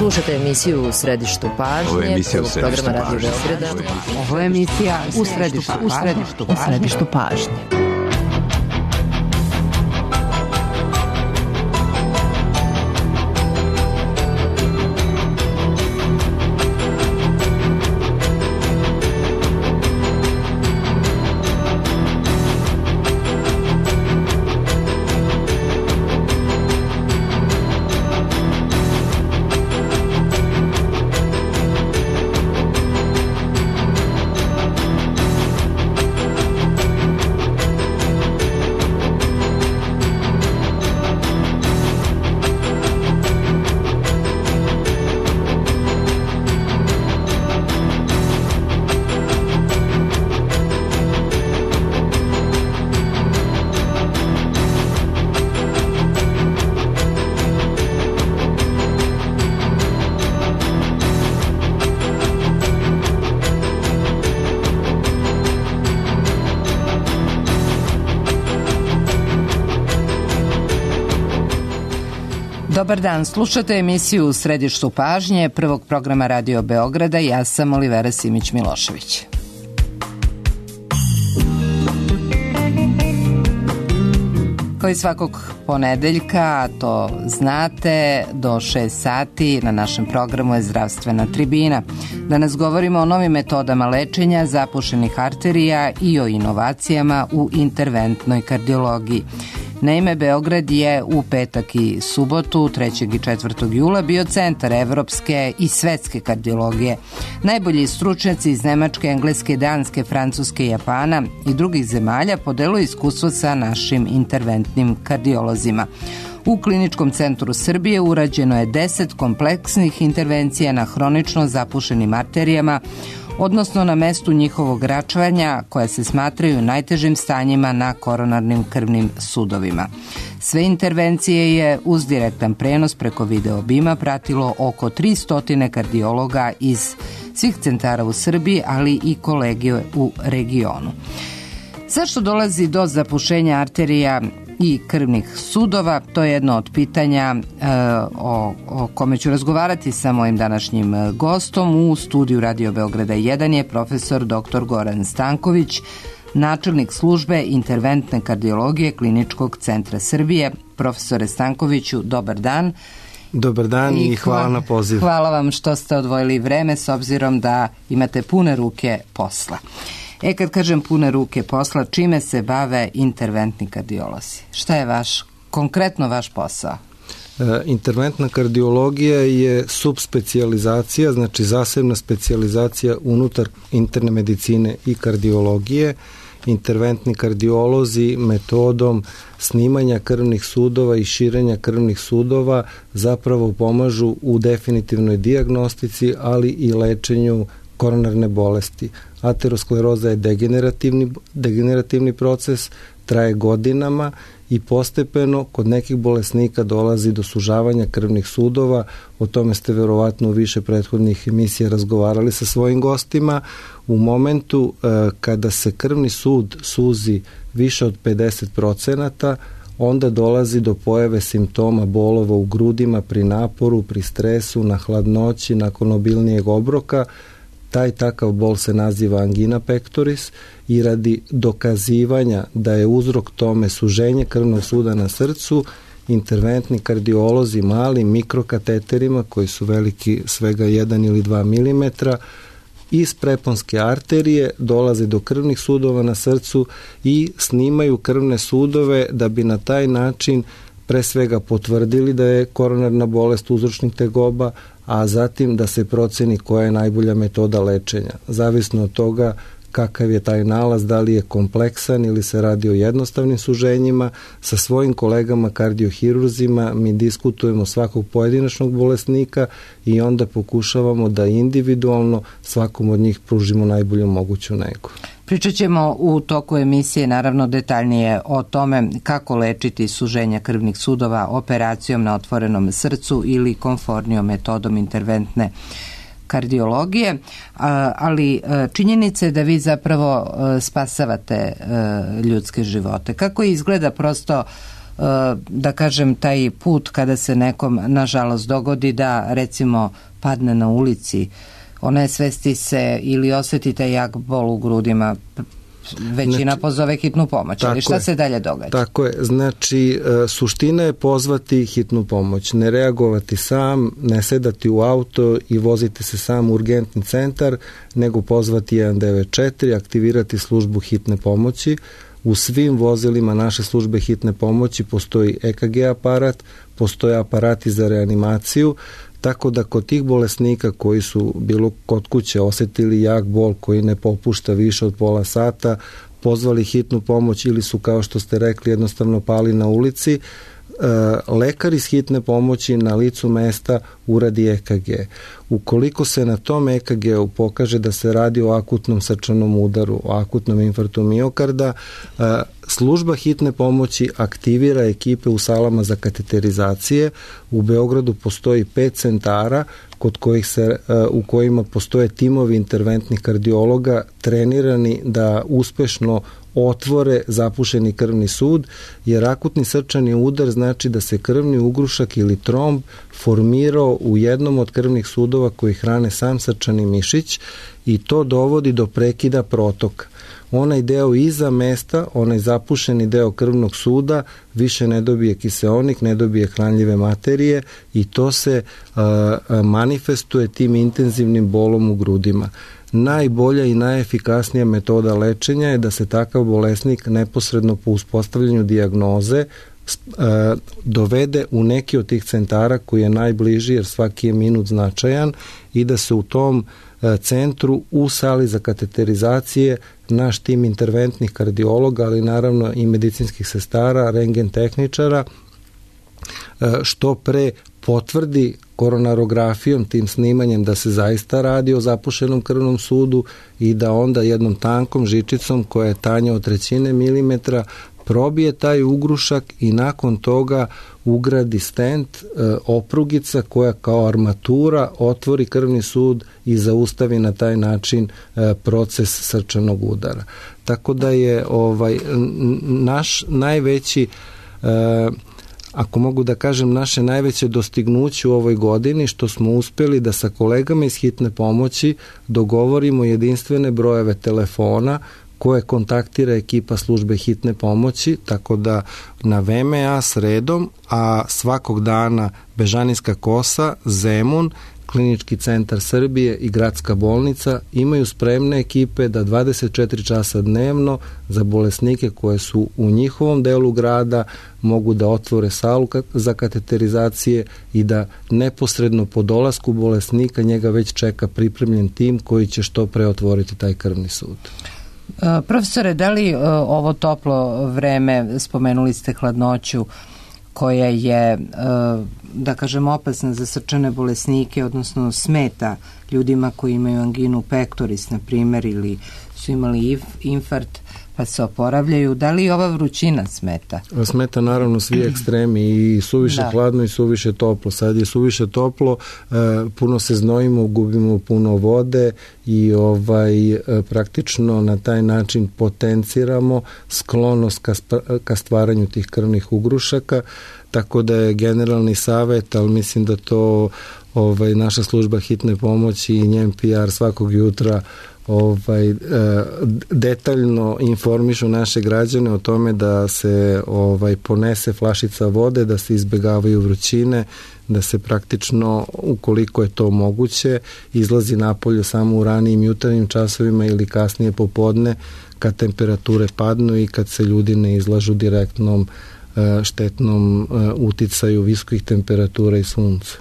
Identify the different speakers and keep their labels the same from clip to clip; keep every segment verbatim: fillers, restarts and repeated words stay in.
Speaker 1: Slušate emisiju U središtu pažnje.
Speaker 2: Ovo je emisija U središtu
Speaker 1: programa Radio
Speaker 2: pažnje.
Speaker 1: Beograda.
Speaker 3: Ovo je emisija U središtu, u središtu, u središtu pažnje. Dobar dan, slušate emisiju U središtu pažnje prvog programa Radio Beograda. Ja sam Olivera Simić-Milošević. Kao i svakog ponedeljka, to znate, do šest sati na našem programu je Zdravstvena tribina. Danas govorimo o novim metodama lečenja zapušenih arterija i o inovacijama u interventnoj kardiologiji. Naime, Beograd je u petak i subotu, trećeg i četvrtog jula, bio centar evropske i svetske kardiologije. Najbolji stručnjaci iz Nemačke, Engleske, Danske, Francuske, Japana i drugih zemalja podeluju iskustvo sa našim interventnim kardiolozima. U Kliničkom centru Srbije urađeno je deset kompleksnih intervencija na hronično zapušenim arterijama, odnosno na mestu njihovog račvanja, koja se smatraju najtežim stanjima na koronarnim krvnim sudovima. Sve intervencije je uz direktan prenos preko video obima pratilo oko tristo kardiologa iz svih centara u Srbiji, ali i kolege u regionu. Zašto dolazi do zapušenja arterija i krvnih sudova? To je jedno od pitanja e, o, o kome ću razgovarati sa mojim današnjim gostom. U studiju Radio Beograda jedan je profesor doktor Goran Stanković, načelnik službe interventne kardiologije Kliničkog centra Srbije. Profesore Stankoviću, dobar dan.
Speaker 4: Dobar dan i, i hvala na poziv.
Speaker 1: Hvala vam što ste odvojili vreme s obzirom da imate pune ruke posla. E, kad kažem pune ruke posla, čime se bave interventni kardiolozi? Šta je vaš, konkretno vaš posao?
Speaker 4: E, interventna kardiologija je subspecijalizacija, znači zasebna specijalizacija unutar interne medicine i kardiologije. Interventni kardiolozi metodom snimanja krvnih sudova i širenja krvnih sudova zapravo pomažu u definitivnoj dijagnostici, ali i lečenju koronarne bolesti. Ateroskleroza je degenerativni, degenerativni proces, traje godinama i postepeno kod nekih bolesnika dolazi do sužavanja krvnih sudova. O tome ste verovatno u više prethodnih emisija razgovarali sa svojim gostima. U momentu e, kada se krvni sud suzi više od pedeset procenata, onda dolazi do pojave simptoma bolova u grudima pri naporu, pri stresu, na hladnoći, nakon obilnijeg obroka. Taj takav bol se naziva angina pectoris i radi dokazivanja da je uzrok tome suženje krvnog suda na srcu, interventni kardiolozi mali mikrokateterima koji su veliki svega jedan ili dva milimetra iz preponske arterije dolaze do krvnih sudova na srcu i snimaju krvne sudove da bi na taj način pre svega potvrdili da je koronarna bolest uzročnik tegoba, a zatim da se proceni koja je najbolja metoda lečenja. Zavisno od toga kakav je taj nalaz, da li je kompleksan ili se radi o jednostavnim suženjima, sa svojim kolegama kardiohirurzima mi diskutujemo svakog pojedinačnog bolesnika i onda pokušavamo da individualno svakom od njih pružimo najbolju moguću negu.
Speaker 1: Pričat ćemo u toku emisije naravno detaljnije o tome kako lečiti suženja krvnih sudova operacijom na otvorenom srcu ili komfornijom metodom interventne kardiologije, ali činjenica je da vi zapravo spasavate ljudske živote. Kako izgleda prosto da kažem, taj put kada se nekom nažalost dogodi da recimo padne na ulici, onesvesti se ili osjetite jak bol u grudima, većina znači, pozove hitnu pomoć, ali šta je, se dalje događa?
Speaker 4: Tako je, znači suština je pozvati hitnu pomoć, ne reagovati sam, ne sedati u auto i voziti se sam u urgentni centar, nego pozvati jedan devet četiri, aktivirati službu hitne pomoći. U svim vozilima naše službe hitne pomoći postoji E K G aparat, postoje aparati za reanimaciju, tako da kod tih bolesnika koji su bilo kod kuće osjetili jak bol koji ne popušta više od pola sata, pozvali hitnu pomoć ili su, kao što ste rekli, jednostavno pali na ulici, lekar iz hitne pomoći na licu mesta uradi E K G. Ukoliko se na tom E K G-u pokaže da se radi o akutnom srčanom udaru, o akutnom infarktu miokarda, služba hitne pomoći aktivira ekipe u salama za kateterizacije. U Beogradu postoji pet centara kod kojih se, u kojima postoje timovi interventnih kardiologa trenirani da uspešno otvore zapušeni krvni sud, jer akutni srčani udar znači da se krvni ugrušak ili tromb formirao u jednom od krvnih sudova koji hrane sam srčani mišić i to dovodi do prekida protoka. Onaj deo iza mesta, onaj zapušeni deo krvnog suda više ne dobije kiseonik, ne dobije hranljive materije i to se uh, manifestuje tim intenzivnim bolom u grudima. Najbolja i najefikasnija metoda lečenja je da se takav bolesnik neposredno po uspostavljanju dijagnoze dovede u neki od tih centara koji je najbliži, jer svaki je minut značajan, i da se u tom centru u sali za kateterizacije naš tim interventnih kardiologa, ali naravno i medicinskih sestara, rentgen tehničara, što pre potvrdi koronarografijom, tim snimanjem, da se zaista radi o zapušenom krvnom sudu i da onda jednom tankom žičicom koja je tanja od trećine milimetra probije taj ugrušak i nakon toga ugradi stent, e, oprugica koja kao armatura otvori krvni sud i zaustavi na taj način e, proces srčanog udara. Tako da je ovaj naš najveći e, ako mogu da kažem, naše najveće dostignuće u ovoj godini što smo uspjeli da sa kolegama iz hitne pomoći dogovorimo jedinstvene brojeve telefona koje kontaktira ekipa službe hitne pomoći, tako da na V M A sredom, a svakog dana Bežanijska kosa, Zemun, Klinički centar Srbije i Gradska bolnica imaju spremne ekipe da dvadeset četiri časa dnevno za bolesnike koje su u njihovom delu grada mogu da otvore salu za kateterizacije i da neposredno po dolasku bolesnika njega već čeka pripremljen tim koji će što pre otvoriti taj krvni sud.
Speaker 1: Profesore, da li ovo toplo vreme, spomenuli ste hladnoću, koja je, da kažem, opasna za srčane bolesnike, odnosno smeta ljudima koji imaju anginu pectoris, na primjer, ili su imali infarkt pa se oporavljaju. Da li ova vrućina smeta?
Speaker 4: Smeta naravno svi ekstremi, i suviše da. hladno i suviše toplo. Sad je suviše toplo, puno se znojimo, gubimo puno vode i ovaj praktično na taj način potenciramo sklonost ka, ka stvaranju tih krvnih ugrušaka, tako da je generalni savet, ali mislim da to ovaj, naša služba hitne pomoći i njen P R svakog jutra ovaj detaljno informišu naše građane o tome da se ovaj ponese flašica vode, da se izbegavaju vrućine, da se praktično, ukoliko je to moguće, izlazi napolje samo u ranijim jutarnjim časovima ili kasnije popodne kad temperature padnu i kad se ljudi ne izlažu direktnom štetnom uticaju visokih temperatura i sunca.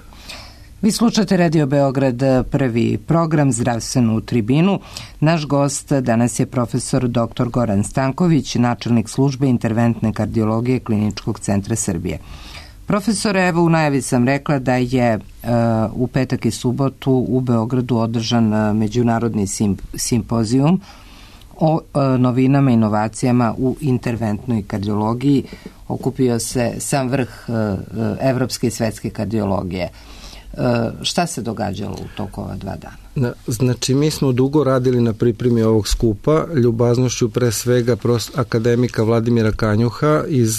Speaker 1: Vi slušate Radio Beograd, prvi program, Zdravstvenu tribinu. Naš gost danas je profesor doktor Goran Stanković, načelnik službe interventne kardiologije Kliničkog centra Srbije. Profesore, evo u najavi sam rekla da je uh, u petak i subotu u Beogradu održan uh, međunarodni sim, simpozijum o uh, novinama i inovacijama u interventnoj kardiologiji. Okupio se sam vrh uh, evropske i svetske kardiologije. Šta se događalo u toku ova dva dana?
Speaker 4: Znači, mi smo dugo radili na pripremi ovog skupa, ljubaznošću pre svega akademika Vladimira Kanjuha iz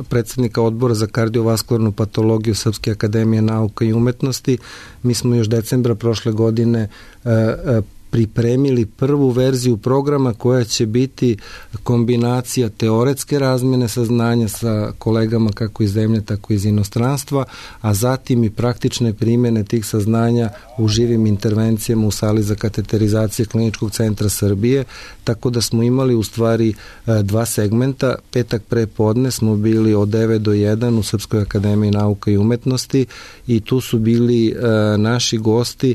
Speaker 4: predsjednika odbora za kardiovaskularnu patologiju Srpske akademije nauka i umetnosti. Mi smo još decembra prošle godine pripremili prvu verziju programa koja će biti kombinacija teoretske razmjene saznanja sa kolegama kako iz zemlje, tako iz inostranstva, a zatim i praktične primjene tih saznanja u živim intervencijama u sali za kateterizaciju Kliničkog centra Srbije, tako da smo imali u stvari dva segmenta. Petak pre podne smo bili od devet do jedan u Srpskoj akademiji nauka i umetnosti i tu su bili naši gosti,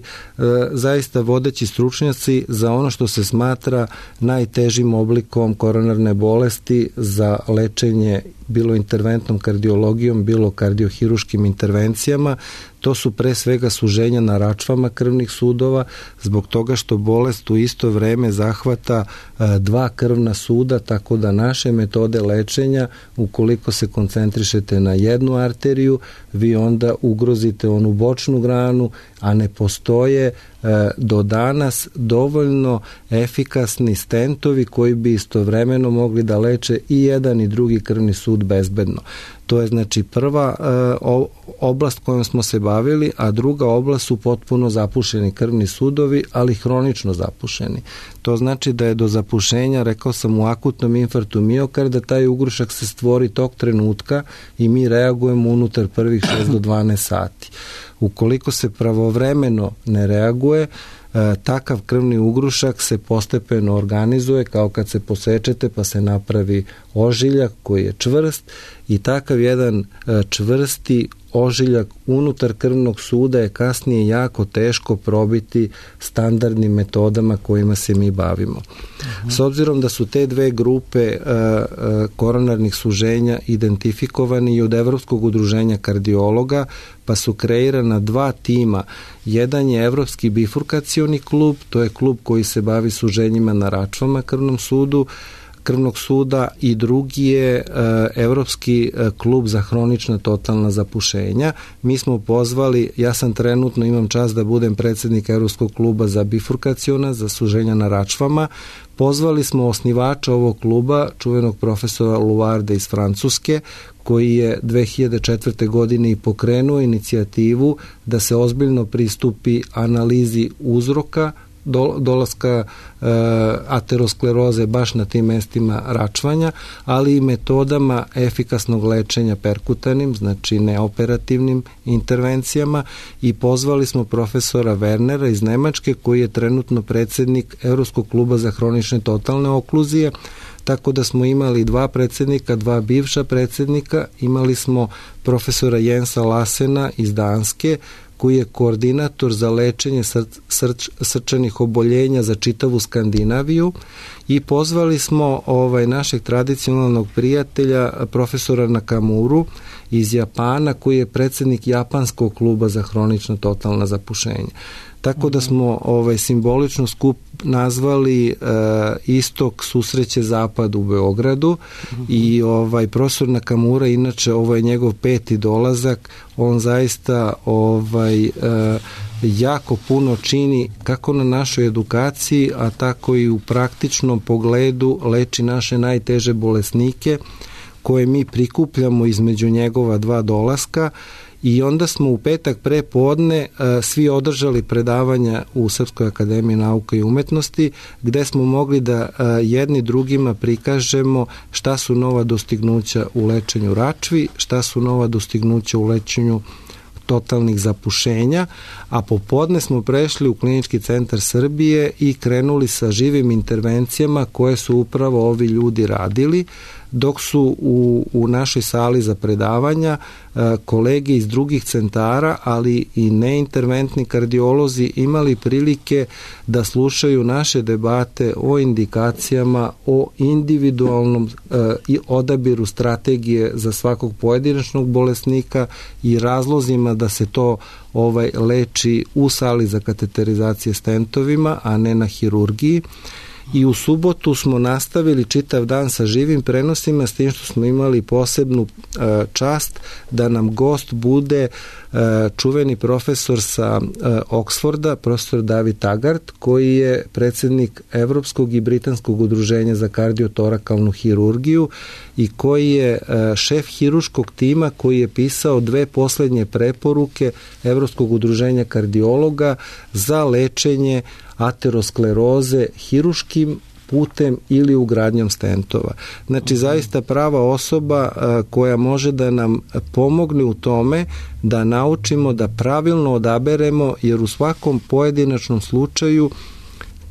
Speaker 4: zaista vodeći stručnjaci za ono što se smatra najtežim oblikom koronarne bolesti za lečenje bilo interventnom kardiologijom, bilo kardiohiruškim intervencijama. To su pre svega suženja na račvama krvnih sudova, zbog toga što bolest u isto vreme zahvata dva krvna suda, tako da naše metode lečenja, ukoliko se koncentrišete na jednu arteriju, vi onda ugrozite onu bočnu granu, a ne postoje do danas dovoljno efikasni stentovi koji bi istovremeno mogli da leče i jedan i drugi krvni sud bezbedno. To je znači prva oblast kojom smo se bavili, a druga oblast su potpuno zapušeni krvni sudovi, ali hronično zapušeni. To znači da je do zapušenja, rekao sam, u akutnom infarktu miokarda, taj ugrušak se stvori tog trenutka i mi reagujemo unutar prvih šest do dvanaest sati. Ukoliko se pravovremeno ne reaguje, takav krvni ugrušak se postepeno organizuje kao kad se posečete pa se napravi ožiljak koji je čvrst i takav jedan čvrsti ožiljak unutar krvnog suda je kasnije jako teško probiti standardnim metodama kojima se mi bavimo. Uh-huh. S obzirom da su te dve grupe uh, uh, koronarnih suženja identifikovani i od Evropskog udruženja kardiologa, pa su kreirana dva tima. Jedan je Evropski bifurkacioni klub, to je klub koji se bavi suženjima na račvama krvnom sudu, krvnog suda, i drugi je uh, Evropski uh, klub za hronična totalna zapušenja. Mi smo pozvali, ja sam trenutno, imam čast da budem predsjednik Evropskog kluba za bifurkaciona, za suženja na račvama. Pozvali smo osnivača ovog kluba, čuvenog profesora Luarda iz Francuske, koji je dve hiljade četvrte. godine i pokrenuo inicijativu da se ozbiljno pristupi analizi uzroka dolaska e, ateroskleroze baš na tim mestima račvanja, ali i metodama efikasnog lečenja perkutanim, znači neoperativnim intervencijama, i pozvali smo profesora Wernera iz Nemačke, koji je trenutno predsjednik Evropskog kluba za hronične totalne okluzije, tako da smo imali dva predsjednika, dva bivša predsjednika, imali smo profesora Jensa Lassena iz Danske, koji je koordinator za lečenje srč, srč, srčanih oboljenja za čitavu Skandinaviju, i pozvali smo ovaj našeg tradicionalnog prijatelja profesora Nakamuru iz Japana, koji je predsjednik Japanskog kluba za hronična totalna zapušenja. Tako da smo ovaj simbolično skup nazvali e, Istok susreće Zapad u Beogradu, uh-huh. i ovaj profesor Nakamura, inače ovo je njegov peti dolazak, on zaista ovaj e, jako puno čini kako na našoj edukaciji, a tako i u praktičnom pogledu leči naše najteže bolesnike koje mi prikupljamo između njegova dva dolaska. I onda smo u petak pre podne uh, svi održali predavanja u Srpskoj akademiji nauka i umetnosti, gde smo mogli da uh, jedni drugima prikažemo šta su nova dostignuća u lečenju račvi, šta su nova dostignuća u lečenju totalnih zapušenja, a popodne smo prešli u Klinički centar Srbije i krenuli sa živim intervencijama koje su upravo ovi ljudi radili, dok su u, u našoj sali za predavanja kolege iz drugih centara, ali i neinterventni kardiolozi imali prilike da slušaju naše debate o indikacijama, o individualnom i odabiru strategije za svakog pojedinačnog bolesnika i razlozima da se to ovaj leči u sali za kateterizacije stentovima, a ne na hirurgiji. i u subotu smo nastavili čitav dan sa živim prenosima, s tim što smo imali posebnu uh, čast da nam gost bude uh, čuveni profesor sa uh, Oxforda, profesor David Taggart, koji je predsednik Evropskog i Britanskog udruženja za kardiotorakalnu hirurgiju i koji je uh, šef hiruškog tima koji je pisao dve poslednje preporuke Evropskog udruženja kardiologa za lečenje ateroskleroze hiruškim putem ili ugradnjom stentova. Znači, zaista prava osoba a, koja može da nam pomogne u tome da naučimo da pravilno odaberemo, jer u svakom pojedinačnom slučaju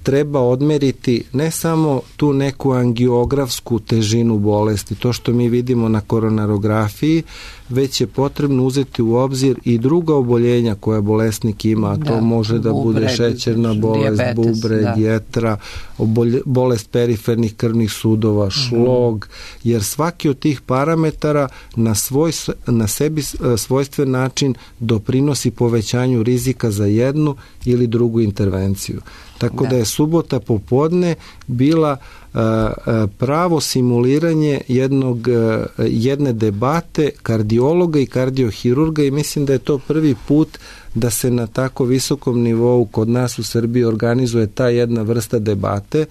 Speaker 4: treba odmeriti ne samo tu neku angiografsku težinu bolesti, to što mi vidimo na koronarografiji, već je potrebno uzeti u obzir i druga oboljenja koja bolesnik ima, a to da, može da bubre, bude šećerna bolest, dijabetes, bubreg, da. jetra, obolje, bolest perifernih krvnih sudova, šlog, uh-huh. jer svaki od tih parametara na, svoj, na sebi svojstven način doprinosi povećanju rizika za jednu ili drugu intervenciju. Tako da, da je subota popodne bila a, a, pravo simuliranje jednog, a, jedne debate kardiologa i kardiohirurga i mislim da je to prvi put da se na tako visokom nivou kod nas u Srbiji organizuje ta jedna vrsta debate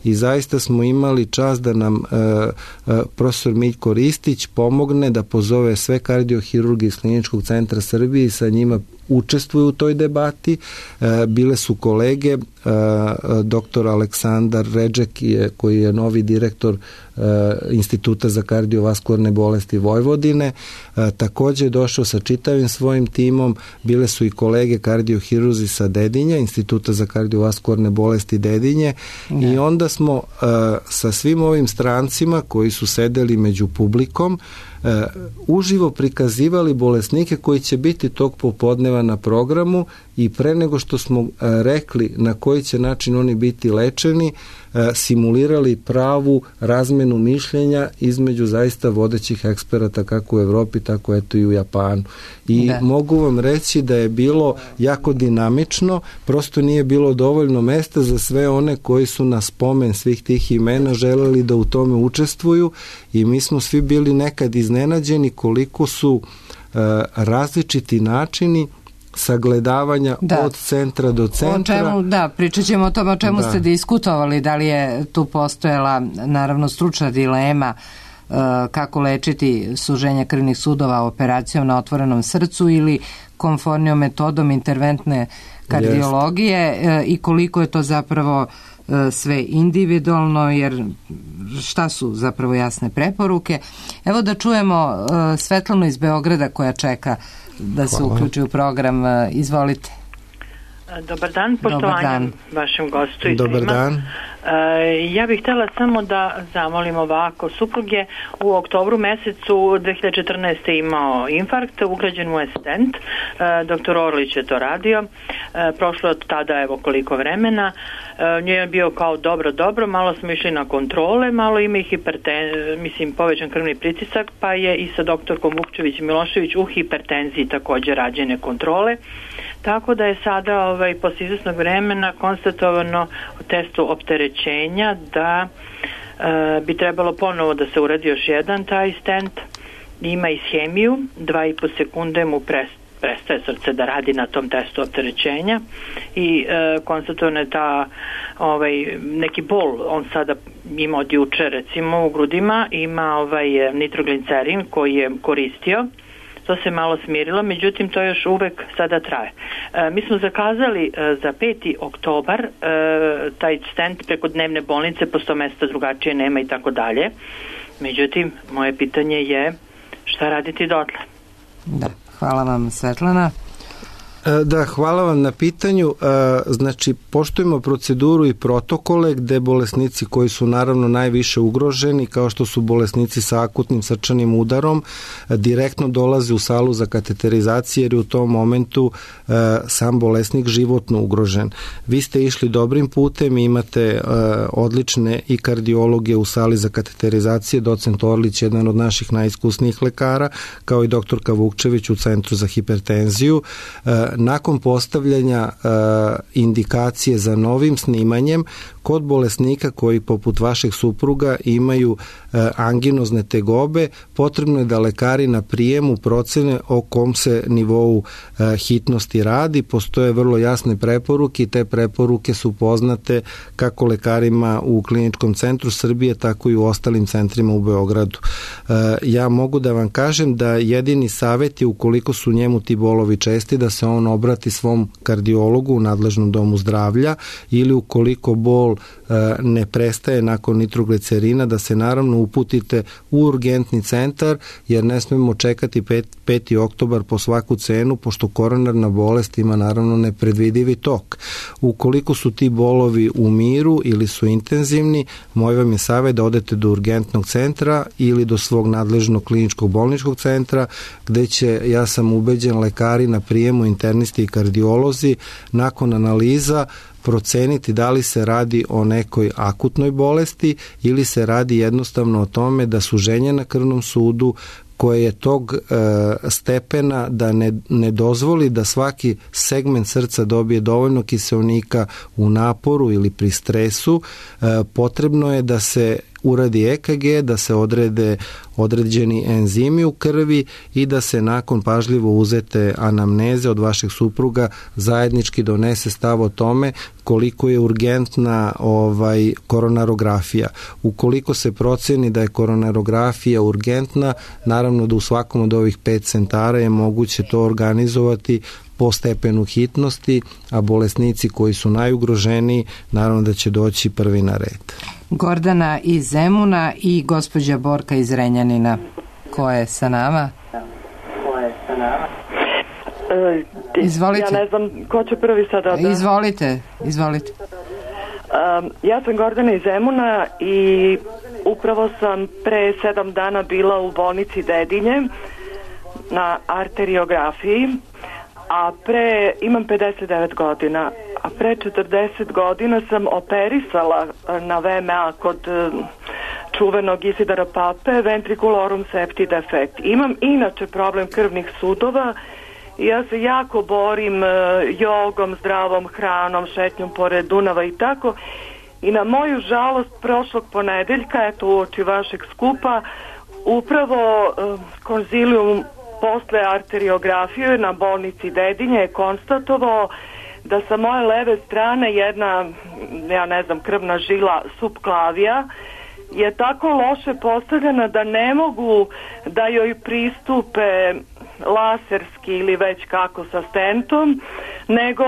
Speaker 4: i zaista smo imali čast da nam e, e, profesor Miljko Ristić pomogne da pozove sve kardiohirurge iz Kliničkog centra Srbije i sa njima učestvuju u toj debati. E, bile su kolege, e, doktor Aleksandar Redžek je, koji je novi direktor e, Instituta za kardiovaskularne bolesti Vojvodine, e, takođe je došao sa čitavim svojim timom. Bile su i kolege kardiohirurzi sa Dedinja, Instituta za kardiovaskularne bolesti Dedinje ne. I onda smo uh, sa svim ovim strancima koji su sedeli među publikom uh, uživo prikazivali bolesnike koji će biti tog popodneva na programu i pre nego što smo uh, rekli na koji će način oni biti lečeni, uh, simulirali pravu razmenu mišljenja između zaista vodećih eksperata kako u Evropi, tako eto i u Japanu. I da. Mogu vam reći da je bilo jako dinamično, prosto nije bilo dovoljno mesta za sve one koji su na spomen svih tih imena želeli da u tome učestvuju i mi smo svi bili nekad iznenađeni koliko su uh, različiti načini sagledavanja da. Od centra do centra.
Speaker 1: O čemu, da, pričat ćemo o tome o čemu da. Ste diskutovali, da li je tu postojala naravno stručna dilema kako lečiti suženje krvnih sudova operacijom na otvorenom srcu ili komfornijom metodom interventne kardiologije yes. i koliko je to zapravo sve individualno, jer šta su zapravo jasne preporuke. Evo da čujemo Svetlanu iz Beograda koja čeka da se Hvala. Uključi u program. Izvolite.
Speaker 2: Dobar dan, poštovanje vašem gostu i
Speaker 4: Dobar svima. Dan.
Speaker 2: Ja bih htjela samo da zamolim ovako. Suprug je u oktobru mesecu dve hiljade četrnaeste. imao infarkt, ugrađen mu je stent, doktor Orlić je to radio, prošlo od tada evo koliko vremena, nije je bio kao dobro, dobro, malo smo išli na kontrole, malo ima i hiperten, mislim povećan krvni pritisak, pa je i sa doktorkom Vukčević Milošević u hipertenziji također rađene kontrole, tako da je sada ovaj, posle izvesnog vremena konstatovano u testu opterećenja da e, bi trebalo ponovo da se uradi još jedan taj stent, ima ishemiju, dva i po sekunde mu pres, prestaje srce da radi na tom testu opterećenja i e, konstatovano je ta ovaj, neki bol, on sada ima od juče recimo u grudima, ima ovaj nitroglicerin koji je koristio, to se malo smirilo, međutim to još uvek sada traje. E, mi smo zakazali e, za peti oktobar e, taj stent preko dnevne bolnice, posto mesta drugačije nema i tako dalje. Međutim, moje pitanje je šta raditi dotle?
Speaker 1: Da, hvala vam Svetlana.
Speaker 4: Da, hvala vam na pitanju. Znači, poštujemo proceduru i protokole gde bolesnici koji su naravno najviše ugroženi, kao što su bolesnici sa akutnim srčanim udarom, direktno dolaze u salu za kateterizaciju jer je u tom momentu sam bolesnik životno ugrožen. Vi ste išli dobrim putem, imate odlične i kardiologe u sali za kateterizaciju, docent Orlić, jedan od naših najiskusnijih lekara, kao i doktorka Vukčević u Centru za hipertenziju. nakon postavljanja indikacije za novim snimanjem kod bolesnika koji poput vašeg supruga imaju anginozne tegobe, potrebno je da lekari na prijemu procene o kom se nivou hitnosti radi. Postoje vrlo jasne preporuke i te preporuke su poznate kako lekarima u Kliničkom centru Srbije, tako i u ostalim centrima u Beogradu. Ja mogu da vam kažem da jedini savjet je, ukoliko su njemu ti bolovi česti, da se on obrati svom kardiologu u nadležnom domu zdravlja, ili ukoliko bol ne prestaje nakon nitroglicerina, da se naravno uputite u urgentni centar, jer ne smemo čekati peti oktobar po svaku cenu, pošto koronarna bolest ima naravno nepredvidivi tok. Ukoliko su ti bolovi u miru ili su intenzivni, moj vam je savjet da odete do urgentnog centra ili do svog nadležnog kliničkog bolničkog centra, gde će, ja sam ubeđen, lekari na prijemu, internisti i kardiolozi nakon analiza proceniti da li se radi o nekoj akutnoj bolesti ili se radi jednostavno o tome da suženje na krvnom sudu koje je tog e, stepena da ne, ne dozvoli da svaki segment srca dobije dovoljno kiseonika u naporu ili pri stresu, e, potrebno je da se uradi E K G, da se odrede određeni enzimi u krvi i da se nakon pažljivo uzete anamneze od vašeg supruga zajednički donese stav o tome koliko je urgentna ovaj koronarografija. Ukoliko se proceni da je koronarografija urgentna, naravno da u svakom od ovih pet centara je moguće to organizovati po stepenu hitnosti, a bolesnici koji su najugroženiji naravno da će doći prvi na red.
Speaker 1: Gordana iz Zemuna i gospođa Borka iz Renjanina. Ko je sa nama?
Speaker 5: Ko je sa nama?
Speaker 1: E, izvolite.
Speaker 5: Ja ne znam ko će prvi sada da...
Speaker 1: Izvolite, izvolite.
Speaker 5: Um, ja sam Gordana iz Zemuna i upravo sam pre sedam dana bila u bolnici Dedinje na arteriografiji, a pre, imam pedeset devet godina, a pre četrdeset godina sam operisala na V M A kod čuvenog Isidora Pape ventriculorum septi defekt. Imam inače problem krvnih sudova i ja se jako borim jogom, zdravom hranom, šetnjom pored Dunava i tako. I na moju žalost prošlog ponedeljka, eto uoči vašeg skupa, upravo konzilium posle arteriografije na bolnici Dedinje je konstatovao da sa moje leve strane jedna, ja ne znam, krvna žila subklavija je tako loše postavljena da ne mogu da joj pristupe laserski ili već kako sa stentom, nego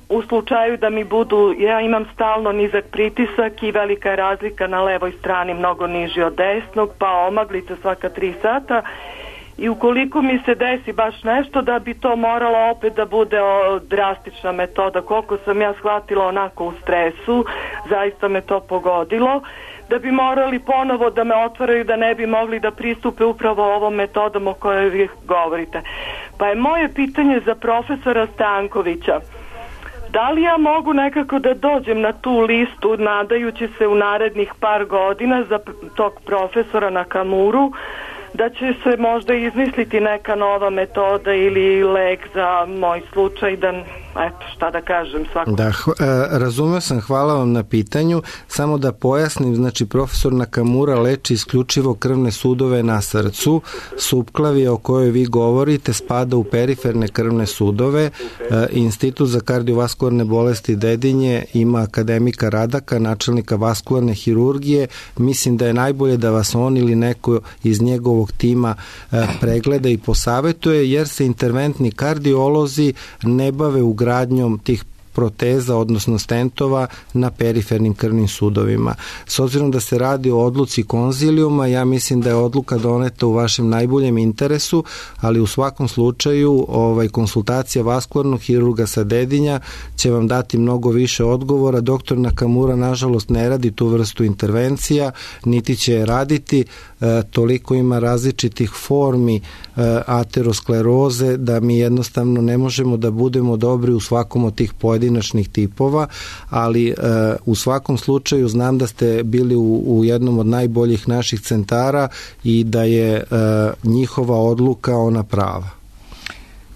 Speaker 5: u slučaju da mi budu, ja imam stalno nizak pritisak i velika je razlika na levoj strani, mnogo niži od desnog, pa omaglica svaka tri sata. I ukoliko mi se desi baš nešto, da bi to morala opet da bude o, drastična metoda. Koliko sam ja shvatila onako u stresu, zaista me to pogodilo, da bi morali ponovo da me otvaraju, da ne bi mogli da pristupe upravo ovom metodom o kojoj vi govorite. Pa je moje pitanje za profesora Stankovića. Da li ja mogu nekako da dođem na tu listu, nadajući se u narednih par godina za tog profesora na Kamuru, da će se možda izmisliti neka nova metoda ili lek za moj slučaj, da, eto, šta da kažem svako.
Speaker 4: Da, razumeo sam, hvala vam na pitanju. Samo da pojasnim, znači profesor Nakamura leči isključivo krvne sudove na srcu. Supklavija o kojoj vi govorite spada u periferne krvne sudove. Institut za kardiovaskularne bolesti Dedinje ima akademika Radaka, načelnika vaskularne hirurgije. Mislim da je najbolje da vas on ili neko iz njegovog tima pregleda i posavetuje, jer se interventni kardiolozi ne bave ugradnjom tih proteza, odnosno stentova na perifernim krvnim sudovima. S obzirom da se radi o odluci konzilijuma, ja mislim da je odluka doneta u vašem najboljem interesu, ali u svakom slučaju ovaj, konsultacija vaskularnog hirurga sa Dedinja će vam dati mnogo više odgovora. Doktor Nakamura nažalost ne radi tu vrstu intervencija, niti će je raditi, e, toliko ima različitih formi e, ateroskleroze da mi jednostavno ne možemo da budemo dobri u svakom od tih pojedinačnih tipova, ali e, u svakom slučaju znam da ste bili u, u jednom od najboljih naših centara i da je e, njihova odluka ona prava.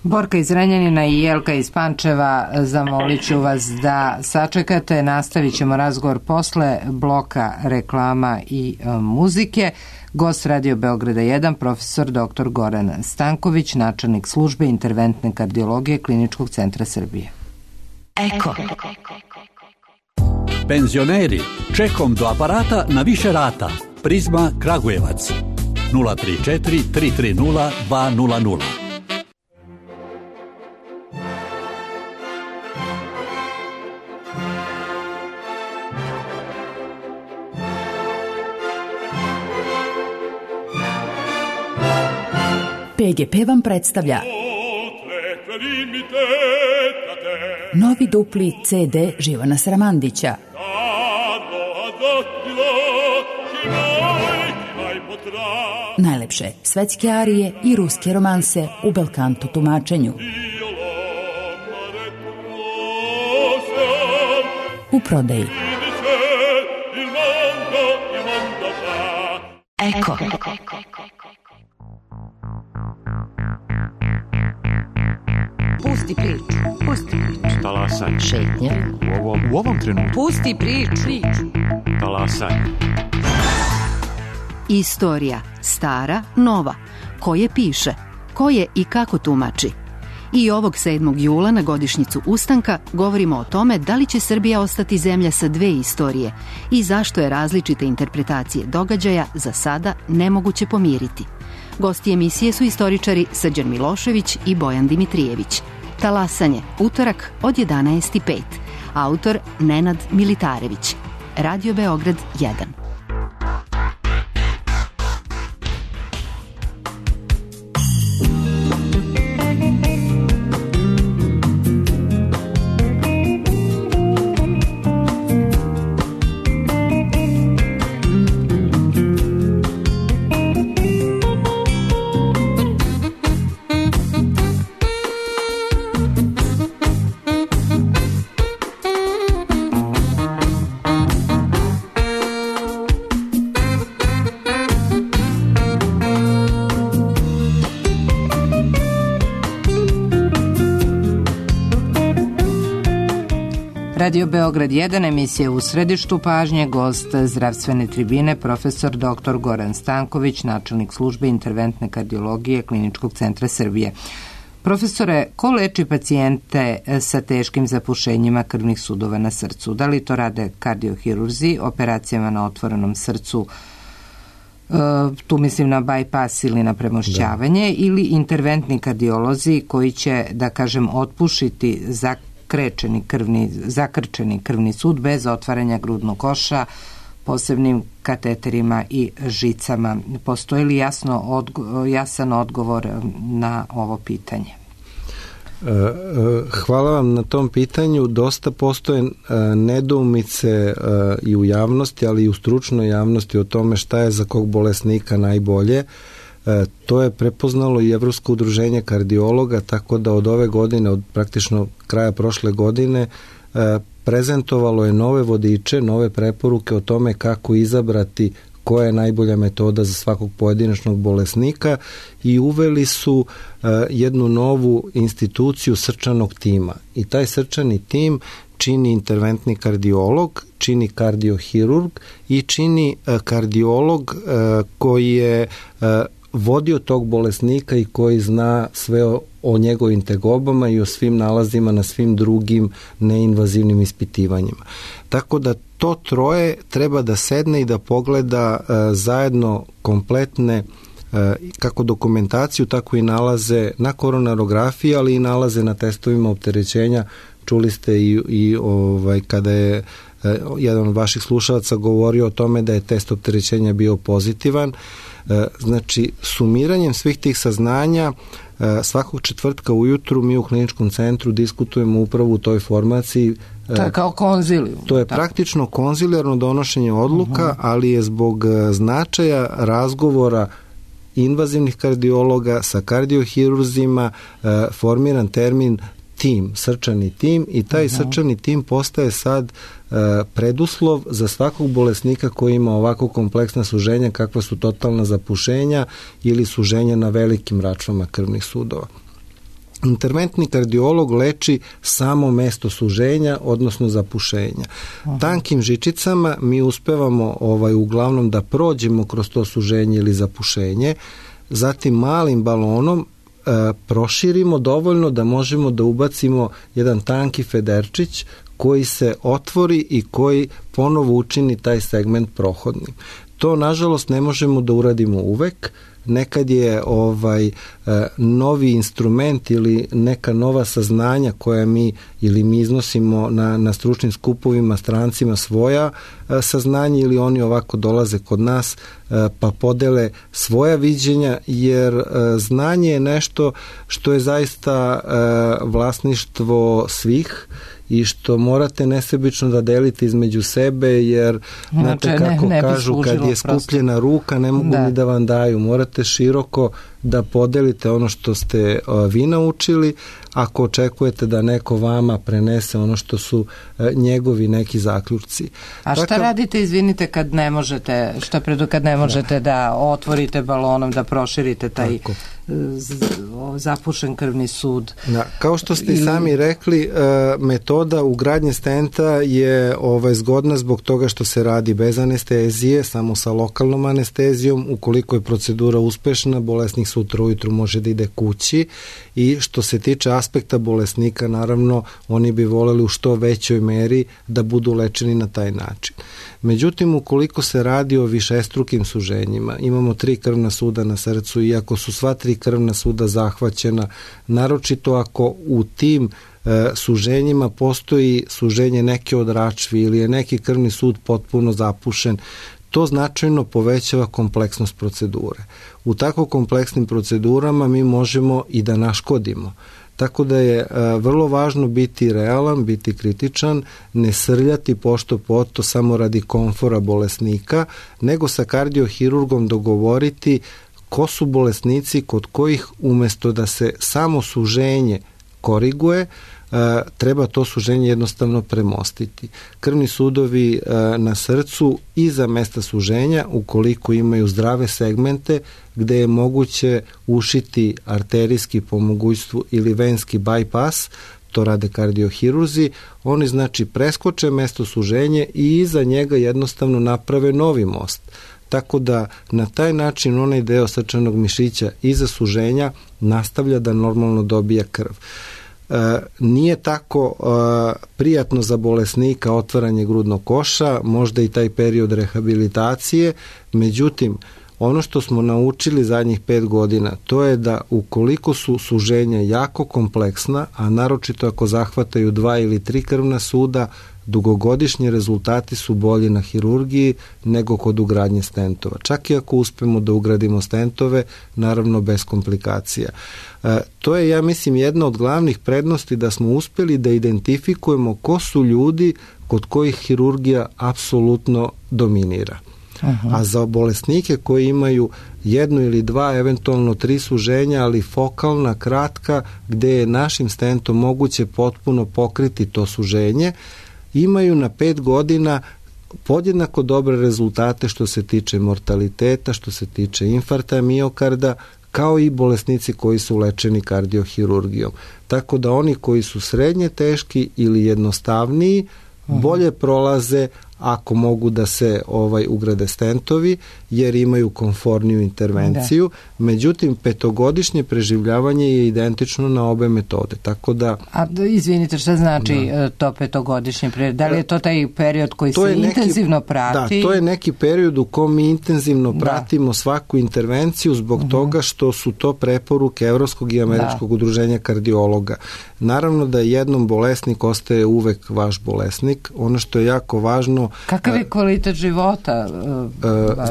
Speaker 1: Borka iz Renjanina i Jelka iz Pančeva, zamolit ću vas da sačekate. Nastavit ćemo razgovor posle bloka reklama i e, muzike. Gost Radio Beograda jedan, profesor doktor Goran Stanković, načelnik službe interventne kardiologije Kliničkog centra Srbije.
Speaker 6: Eko.
Speaker 7: Penzioneri, čekom do aparata na više rata. Prizma Kragujevac. nula tri četiri tri tri nula dva nula nula.
Speaker 6: P G P vam predstavlja novi dupli C D Živana Sramandića. Najlepše svetske arije i ruske romanse u belkanto tumačenju. U prodaji. Eko.
Speaker 8: Pusti priču, pusti priču.
Speaker 9: Talasaj.
Speaker 8: Šetnja.
Speaker 9: U ovom, u ovom trenutku.
Speaker 8: Pusti priču.
Speaker 9: Talasaj.
Speaker 10: Istorija, stara, nova. Ko je piše, ko je i kako tumači. I ovog sedmog jula na godišnjicu ustanka govorimo o tome da li će Srbija ostati zemlja sa dve istorije i zašto je različite interpretacije događaja za sada nemoguće pomiriti. Gosti emisije su istoričari Srđan Milošević i Bojan Dimitrijević. Talasanje, utorak od jedanaest i pet. Autor Nenad Militarević. Radio Beograd jedan.
Speaker 1: Radio Beograd jedan, emisija u središtu pažnje, gost zdravstvene tribine, profesor doktor Goran Stanković, načelnik službe interventne kardiologije Kliničkog centra Srbije. Profesore, ko leči pacijente sa teškim zapušenjima krvnih sudova na srcu? Da li to rade kardiohirurzi, operacijama na otvorenom srcu, tu mislim na bypass ili na premošćavanje, da. Ili interventni kardiolozi koji će, da kažem, otpušiti za krečeni krvni, zakrčeni krvni sud bez otvaranja grudnog koša, posebnim kateterima i žicama. Postoji li jasno odgo, jasan odgovor na ovo pitanje?
Speaker 4: Hvala vam na tom pitanju. Dosta postoje nedoumice i u javnosti, ali i u stručnoj javnosti o tome šta je za kog bolesnika najbolje. To je prepoznalo i Evropsko udruženje kardiologa, tako da od ove godine, od praktično kraja prošle godine, prezentovalo je nove vodiče, nove preporuke o tome kako izabrati koja je najbolja metoda za svakog pojedinačnog bolesnika i uveli su jednu novu instituciju srčanog tima. I taj srčani tim čini interventni kardiolog, čini kardiohirurg i čini kardiolog koji je vodio tog bolesnika i koji zna sve o, o njegovim tegobama i o svim nalazima na svim drugim neinvazivnim ispitivanjima. Tako da to troje treba da sedne i da pogleda e, zajedno kompletne e, kako dokumentaciju, tako i nalaze na koronarografiji, ali i nalaze na testovima opterećenja. Čuli ste i, i ovaj, kada je e, jedan od vaših slušalaca govorio o tome da je test opterećenja bio pozitivan. Znači, sumiranjem svih tih saznanja svakog četvrtka ujutru mi u kliničkom centru diskutujemo upravo u toj formaciji.
Speaker 1: To je kao konzilijum.
Speaker 4: To je praktično konzilijarno donošenje odluka, uh-huh. ali je zbog značaja razgovora invazivnih kardiologa sa kardiohirurzima formiran termin tim, srčani tim i taj uh-huh. srčani tim postaje sad uh, preduslov za svakog bolesnika koji ima ovako kompleksna suženja kakva su totalna zapušenja ili suženja na velikim račvama krvnih sudova. Interventni kardiolog leči samo mesto suženja, odnosno zapušenja. Aha. Tankim žičicama mi uspevamo ovaj, uglavnom da prođemo kroz to suženje ili zapušenje, zatim malim balonom e, proširimo dovoljno da možemo da ubacimo jedan tanki federčić koji se otvori i koji ponovo učini taj segment prohodnim. To, nažalost, ne možemo da uradimo uvek. Nekad je ovaj novi instrument ili neka nova saznanja koja mi ili mi iznosimo na, na stručnim skupovima strancima svoja saznanja ili oni ovako dolaze kod nas pa podele svoja viđenja, jer znanje je nešto što je zaista vlasništvo svih i što morate nesebično da delite između sebe, jer znate
Speaker 1: znači,
Speaker 4: kako
Speaker 1: ne, ne
Speaker 4: kažu kad je skupljena prosto. ruka ne mogu da. ni da vam daju, morate široko da podelite ono što ste uh, vi naučili, ako očekujete da neko vama prenese ono što su uh, njegovi neki zaključci.
Speaker 1: A šta Takav... radite, izvinite, kad ne možete, šta predu kad ne možete da, da otvorite balonom, da proširite taj Tako. zapušen krvni sud?
Speaker 4: Da, kao što ste i sami rekli, uh, metoda ugradnje stenta je ovaj, zgodna zbog toga što se radi bez anestezije, samo sa lokalnom anestezijom. Ukoliko je procedura uspešna, bolesnik sutra ujutru može da ide kući, i što se tiče aspekta bolesnika, naravno oni bi voleli u što većoj meri da budu lečeni na taj način. Međutim, ukoliko se radi o višestrukim suženjima, imamo tri krvna suda na srcu, i ako su sva tri krvna suda zahvaćena, naročito ako u tim e, suženjima postoji suženje neke od račvi ili je neki krvni sud potpuno zapušen, to značajno povećava kompleksnost procedure. U tako kompleksnim procedurama mi možemo i da naškodimo. Tako da je a, vrlo važno biti realan, biti kritičan, ne srljati pošto poto samo radi komfora bolesnika, nego sa kardiohirurgom dogovoriti ko su bolesnici kod kojih umesto da se samo suženje koriguje, treba to suženje jednostavno premostiti. Krvni sudovi na srcu iza mesta suženja, ukoliko imaju zdrave segmente gde je moguće ušiti arterijski po mogućstvu ili venski bypass, to rade kardiohirurzi, oni znači preskoče mesto suženje i iza njega jednostavno naprave novi most. Tako da na taj način onaj deo srčanog mišića iza suženja nastavlja da normalno dobija krv. E, nije tako e, prijatno za bolesnika otvaranje grudnog koša, možda i taj period rehabilitacije, međutim, ono što smo naučili zadnjih pet godina, to je da ukoliko su suženja jako kompleksna, a naročito ako zahvataju dva ili tri krvna suda, dugogodišnji rezultati su bolji na hirurgiji nego kod ugradnje stentova. Čak i ako uspemo da ugradimo stentove, naravno bez komplikacija. E, to je, ja mislim, jedna od glavnih prednosti, da smo uspeli da identifikujemo ko su ljudi kod kojih hirurgija apsolutno dominira. Aha. A za bolesnike koji imaju jedno ili dva, eventualno tri suženja, ali fokalna, kratka, gde je našim stentom moguće potpuno pokriti to suženje, imaju na pet godina podjednako dobre rezultate što se tiče mortaliteta, što se tiče infarkta miokarda, kao i bolesnici koji su lečeni kardiohirurgijom. Tako da oni koji su srednje teški ili jednostavniji, Aha. bolje prolaze ako mogu da se ovaj ugrade stentovi, jer imaju komforniju intervenciju. Da. Međutim, petogodišnje preživljavanje je identično na obe metode. Tako da...
Speaker 1: A izvinite, šta znači da. to petogodišnje preživljavanje? Da li je to taj period koji to se neki, intenzivno prati?
Speaker 4: Da, to je neki period u kom mi intenzivno da. pratimo svaku intervenciju zbog uh-huh. toga što su to preporuke Evropskog i Američkog da. udruženja kardiologa. Naravno da jednom bolesnik ostaje uvek vaš bolesnik. Ono što je jako važno...
Speaker 1: Kakav je kvalitet života?
Speaker 4: Uh,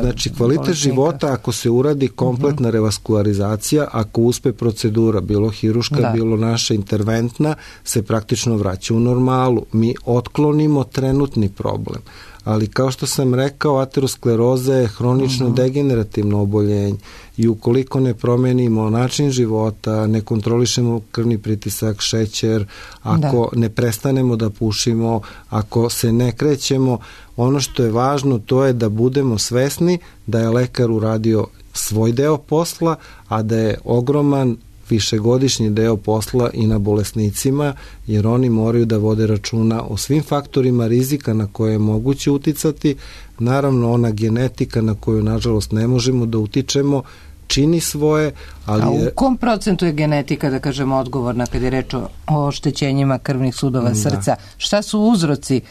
Speaker 4: znači, kvalitet bolesnika. života, ako se uradi kompletna uh-huh. revaskularizacija, ako uspe procedura, bilo hiruška, da. bilo naša interventna, se praktično vraća u normalu. Mi otklonimo trenutni problem. Ali kao što sam rekao, ateroskleroza je hronično uh-huh. degenerativno oboljenje i ukoliko ne promenimo način života, ne kontrolišemo krvni pritisak, šećer, ako da. ne prestanemo da pušimo, ako se ne krećemo, ono što je važno to je da budemo svesni da je lekar uradio svoj deo posla, a da je ogroman višegodišnji deo posla i na bolesnicima, jer oni moraju da vode računa o svim faktorima rizika na koje je moguće uticati. Naravno, ona genetika na koju, nažalost, ne možemo da utičemo, čini svoje, ali...
Speaker 1: A u kom procentu je genetika, da kažemo, odgovorna kad je reč o oštećenjima krvnih sudova srca? Da. Šta su uzroci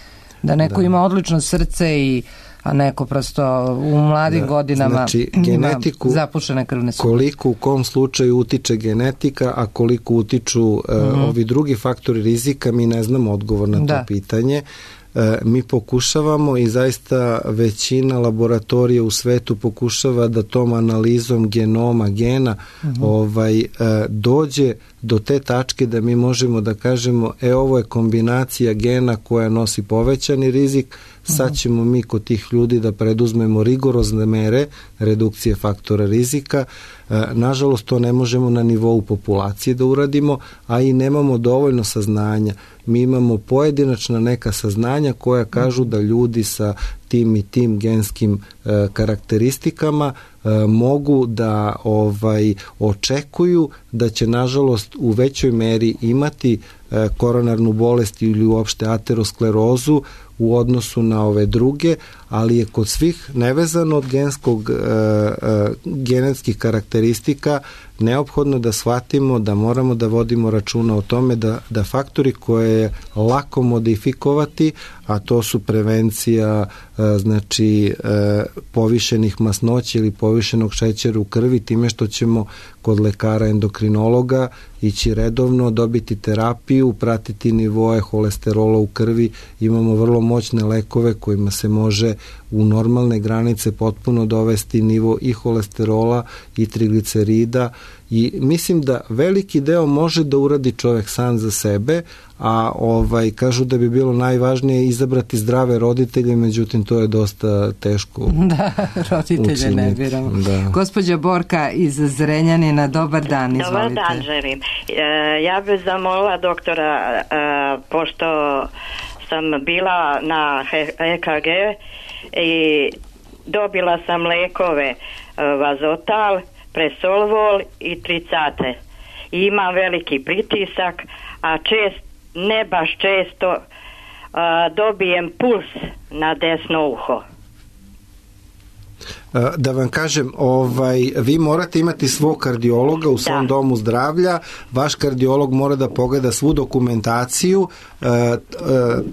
Speaker 1: da neko da. ima odlično srce i a neko prosto u mladim da, godinama
Speaker 4: znači, genetiku,
Speaker 1: ima zapušene krvne sudove?
Speaker 4: Koliko u kom slučaju utiče genetika, a koliko utiču uh, mm-hmm. ovi drugi faktori rizika, mi ne znamo odgovor na da. to pitanje. E, mi pokušavamo i zaista većina laboratorija u svetu pokušava da tom analizom genoma, gena uh-huh. ovaj, e, dođe do te tačke da mi možemo da kažemo e ovo je kombinacija gena koja nosi povećani rizik, sad ćemo mi kod tih ljudi da preduzmemo rigorozne mere redukcije faktora rizika. E, nažalost, to ne možemo na nivou populacije da uradimo, a i nemamo dovoljno saznanja. Mi imamo pojedinačna neka saznanja koja kažu da ljudi sa tim i tim genskim e, karakteristikama e, mogu da ovaj očekuju da će, nažalost, u većoj meri imati e, koronarnu bolest ili uopšte aterosklerozu u odnosu na ove druge, ali je kod svih nevezano od genskog, e, e, genetskih karakteristika neophodno da shvatimo da moramo da vodimo računa o tome da, da faktori koje je lako modifikovati, a to su prevencija e, znači e, povišenih masnoća ili povišenog šećera u krvi, time što ćemo kod lekara endokrinologa ići redovno, dobiti terapiju, pratiti nivoe holesterola u krvi. Imamo vrlo moćne lekove kojima se može u normalne granice potpuno dovesti nivo i holesterola i triglicerida, i mislim da veliki deo može da uradi čovek sam za sebe, a ovaj kažu da bi bilo najvažnije izabrati zdrave roditelje, međutim to je dosta teško.
Speaker 1: Da, roditelje učiniti. Ne biramo. Da. Gospođa Borka iz Zrenjanina, dobar dan, izvolite.
Speaker 11: Dobar dan, želim. E, ja bih zamolila doktora, e, pošto sam bila na E K G i dobila sam lekove Vazotal, Presolvol i Tricate. I imam veliki pritisak, a čest, ne baš često a, dobijem puls na desno uho.
Speaker 4: Da vam kažem, ovaj, vi morate imati svog kardiologa u svom da. domu zdravlja, vaš kardiolog mora da pogleda svu dokumentaciju. E, e,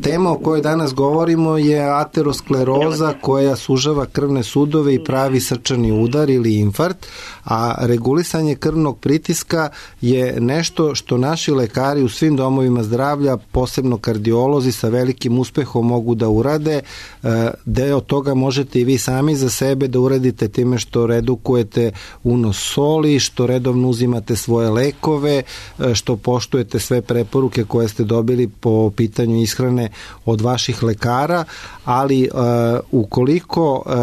Speaker 4: tema o kojoj danas govorimo je ateroskleroza koja sužava krvne sudove i pravi srčani udar ili infarkt, a regulisanje krvnog pritiska je nešto što naši lekari u svim domovima zdravlja, posebno kardiolozi, sa velikim uspehom mogu da urade. E, deo toga možete i vi sami za sebe da uradite time što redukujete unos soli, što redovno uzimate svoje lekove, što poštujete sve preporuke koje ste dobili po pitanju ishrane od vaših lekara, ali uh, ukoliko uh,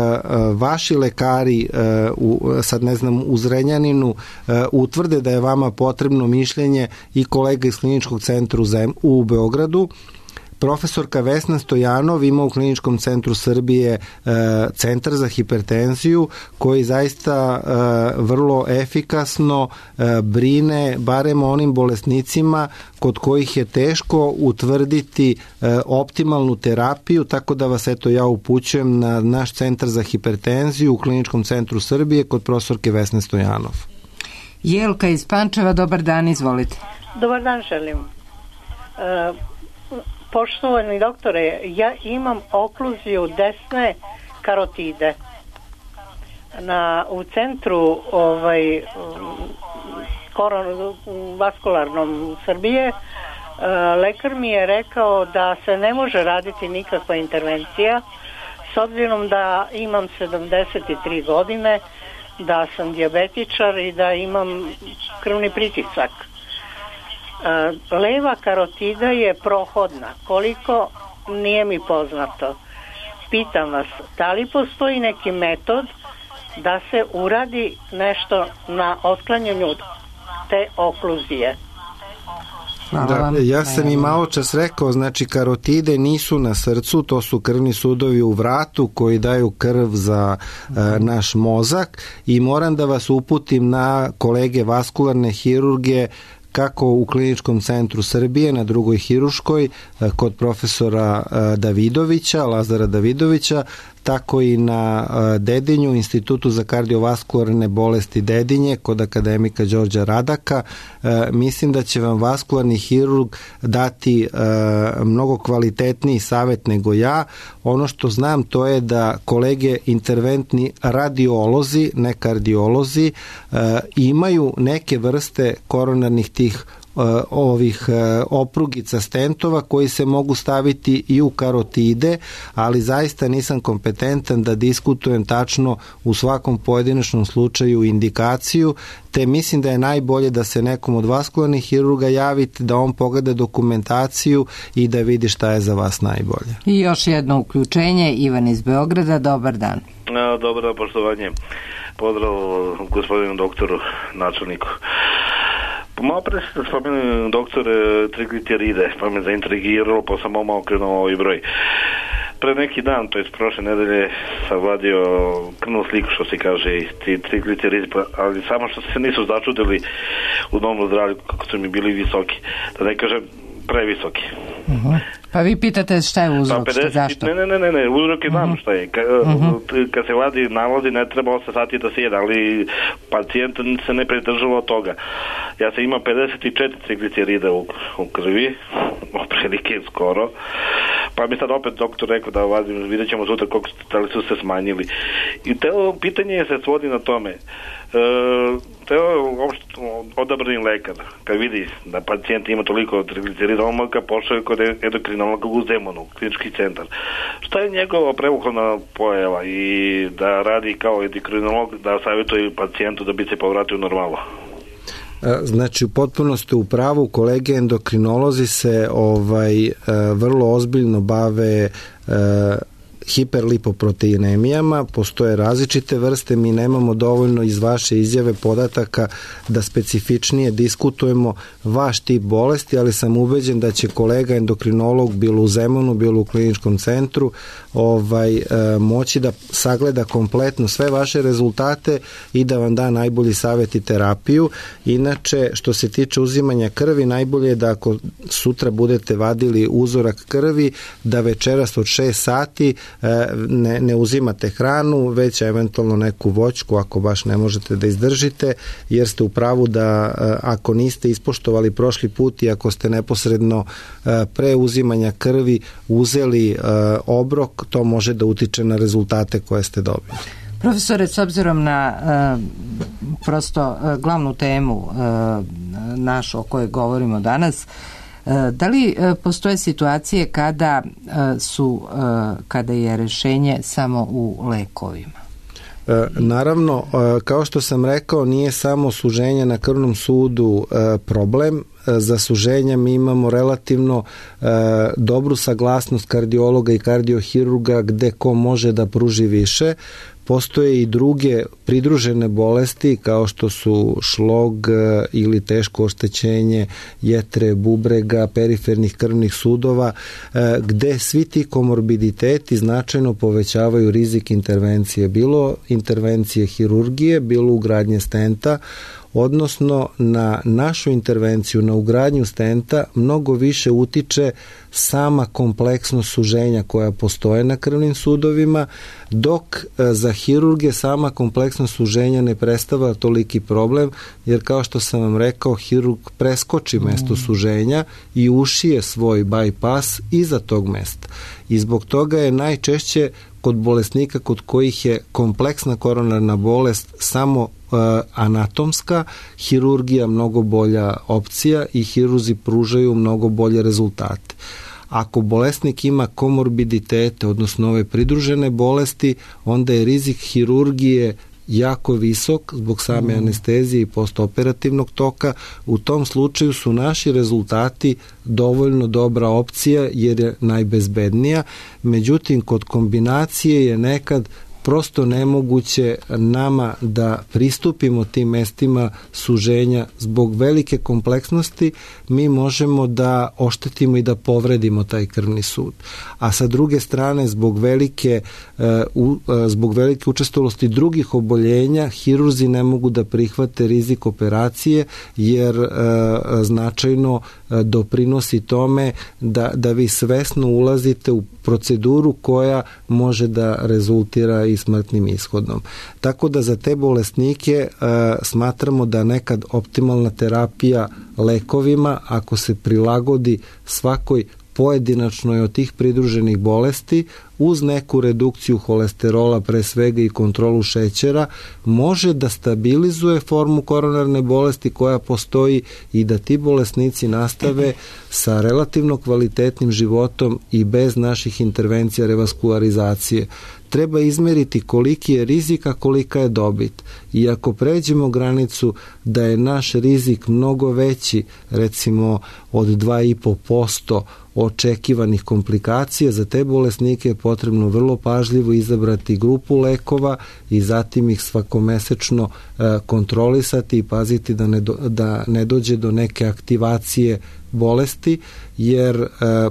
Speaker 4: vaši lekari uh, u, sad ne znam u Zrenjaninu uh, utvrde da je vama potrebno mišljenje i kolega iz kliničkog centra u Beogradu, profesorka Vesna Stojanov ima u Kliničkom centru Srbije e, centar za hipertenziju koji zaista e, vrlo efikasno e, brine barem onim bolesnicima kod kojih je teško utvrditi e, optimalnu terapiju, tako da vas eto ja upućujem na naš centar za hipertenziju u Kliničkom centru Srbije kod profesorke Vesne Stojanov.
Speaker 1: Jelka iz Pančeva, dobar dan, izvolite.
Speaker 12: Dobar dan, želim. E, Poštovani doktore, ja imam okluziju desne karotide. Na, u centru ovaj, koron, vaskularnom Srbije lekar mi je rekao da se ne može raditi nikakva intervencija s obzirom da imam sedamdeset tri godine, da sam dijabetičar i da imam krvni pritisak. Leva karotida je prohodna, koliko nije mi poznato. Pitam vas, da li postoji neki metod da se uradi nešto na otklanjanju te okluzije?
Speaker 1: Hvala
Speaker 4: da,
Speaker 1: vam.
Speaker 4: Ja sam i malo čas rekao, znači karotide nisu na srcu, to su krvni sudovi u vratu koji daju krv za uh, naš mozak i moram da vas uputim na kolege vaskularne hirurge kako u Kliničkom centru Srbije, na drugoj hiruškoj, kod profesora Davidovića, Lazara Davidovića, tako i na Dedinju, Institutu za kardiovaskularne bolesti Dedinje, kod akademika Đorđa Radaka. Mislim da će vam vaskularni hirurg dati mnogo kvalitetniji savjet nego ja. Ono što znam to je da kolege interventni radiolozi, ne kardiolozi, imaju neke vrste koronarnih tih ovih oprugica stentova koji se mogu staviti i u karotide, ali zaista nisam kompetentan da diskutujem tačno u svakom pojedinačnom slučaju indikaciju, te mislim da je najbolje da se nekom od vaskularnih hirurga javite, da on pogleda dokumentaciju i da vidi šta je za vas najbolje.
Speaker 1: I još jedno uključenje, Ivan iz Beograda, dobar dan.
Speaker 13: Dobar dan, poštovanje. Pozdrav gospodinu doktoru, načelniku. Malo pre ste spomenuli doktore trigliceride, pa me zaintrigiralo, pa sam malo okrenuo ovaj broj. Pre neki dan, to je prošle nedelje, sam vadio krvnu sliku, što se kaže, i trigliceride, ali samo što se nisu začudili u domu zdravlju kako su mi bili visoki, da ne kažem previsoki.
Speaker 1: Uh-huh. Pa vi pitate šta je uzrok, pa pedeset, zašto?
Speaker 13: Ne, ne, ne, ne, ne uzrok je znam uh-huh. šta je. Ka, uh-huh. Kad se vadi nalazi ne treba osam sati da se jede, ali pacijent se ne pridržava od toga. Ja sam imao pedeset četiri triglicerida u, u krvi, oprilike skoro, pa mi sad opet doktor rekao da vadim, vidjet ćemo sutra koliko da li su se smanjili. I te pitanje se svodi na tome. E, to je odabrani lekar, kad vidi da pacijent ima toliko triglicerida, on ga pošao kod endokrinologa u Zemunu, klinički centar. Šta je njegova prevukovna pojava i da radi kao endokrinolog, da savjetuje pacijentu da bi se povratio normalno?
Speaker 4: Znači, u potpunosti u pravu, kolege endokrinolozi se ovaj vrlo ozbiljno bave hiperlipoproteinemijama, postoje različite vrste, mi nemamo dovoljno iz vaše izjave podataka da specifičnije diskutujemo vaš tip bolesti, ali sam ubeđen da će kolega endokrinolog bilo u Zemunu, bilo u kliničkom centru ovaj, moći da sagleda kompletno sve vaše rezultate i da vam da najbolji savjet i terapiju. Inače, što se tiče uzimanja krvi, najbolje je da ako sutra budete vadili uzorak krvi, da večeras od šest sati Ne, ne uzimate hranu, već eventualno neku voćku ako baš ne možete da izdržite, jer ste u pravu da ako niste ispoštovali prošli put i ako ste neposredno pre uzimanja krvi uzeli obrok, to može da utiče na rezultate koje ste dobili.
Speaker 1: Profesore, s obzirom na uh, prosto uh, glavnu temu uh, našu o kojoj govorimo danas, da li postoje situacije kada su, kada je rešenje samo u lekovima?
Speaker 4: Naravno, kao što sam rekao, nije samo suženje na krvnom sudu problem. Za suženja mi imamo relativno dobru saglasnost kardiologa i kardiohirurga gde ko može da pruži više. Postoje i druge pridružene bolesti kao što su šlog ili teško oštećenje jetre, bubrega, perifernih krvnih sudova, gde svi ti komorbiditeti značajno povećavaju rizik intervencije, bilo intervencije hirurgije, bilo ugradnje stenta, odnosno na našu intervenciju, na ugradnju stenta mnogo više utiče sama kompleksnost suženja koja postoje na krvnim sudovima, dok za hirurge sama kompleksnost suženja ne predstavlja toliki problem, jer kao što sam vam rekao, hirurg preskoči mesto suženja i ušije svoj bypass iza tog mesta. I zbog toga je najčešće kod bolesnika kod kojih je kompleksna koronarna bolest samo anatomska, hirurgija mnogo bolja opcija i hirurzi pružaju mnogo bolje rezultate. Ako bolesnik ima komorbiditete, odnosno ove pridružene bolesti, onda je rizik hirurgije jako visok zbog same mm. anestezije i postoperativnog toka. U tom slučaju su naši rezultati dovoljno dobra opcija jer je najbezbednija. Međutim, kod kombinacije je nekad prosto nemoguće nama da pristupimo tim mestima suženja zbog velike kompleksnosti. Mi možemo da oštetimo i da povredimo taj krvni sud. A sa druge strane, zbog velike, zbog velike učestalosti drugih oboljenja, hirurzi ne mogu da prihvate rizik operacije, jer značajno doprinosi tome da, da vi svesno ulazite u proceduru koja može da rezultira i smrtnim ishodom. Tako da za te bolesnike e, smatramo da nekad optimalna terapija lekovima, ako se prilagodi svakoj pojedinačnoj od tih pridruženih bolesti, uz neku redukciju holesterola, pre svega i kontrolu šećera, može da stabilizuje formu koronarne bolesti koja postoji i da ti bolesnici nastave sa relativno kvalitetnim životom i bez naših intervencija revaskularizacije. Treba izmeriti koliki je rizik, a kolika je dobit. I ako pređemo granicu da je naš rizik mnogo veći, recimo od dva i po posto očekivanih komplikacija, za te bolesnike je potrebno vrlo pažljivo izabrati grupu lekova i zatim ih svakomesečno e, kontrolisati i paziti da ne, do, da ne dođe do neke aktivacije bolesti, jer e,